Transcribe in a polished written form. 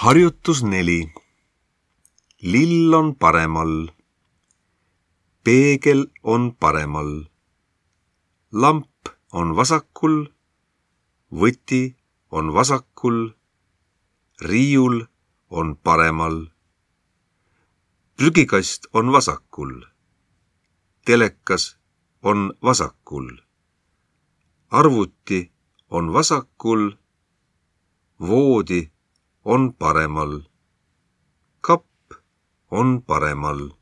Harjutus 4. Lill on paremal. Peegel on paremal. Lamp on vasakul. Võti on vasakul. Riiul on paremal. Prügikast on vasakul. Telekas on vasakul. Arvuti on vasakul. Voodi on paremal. Kapp on paremal.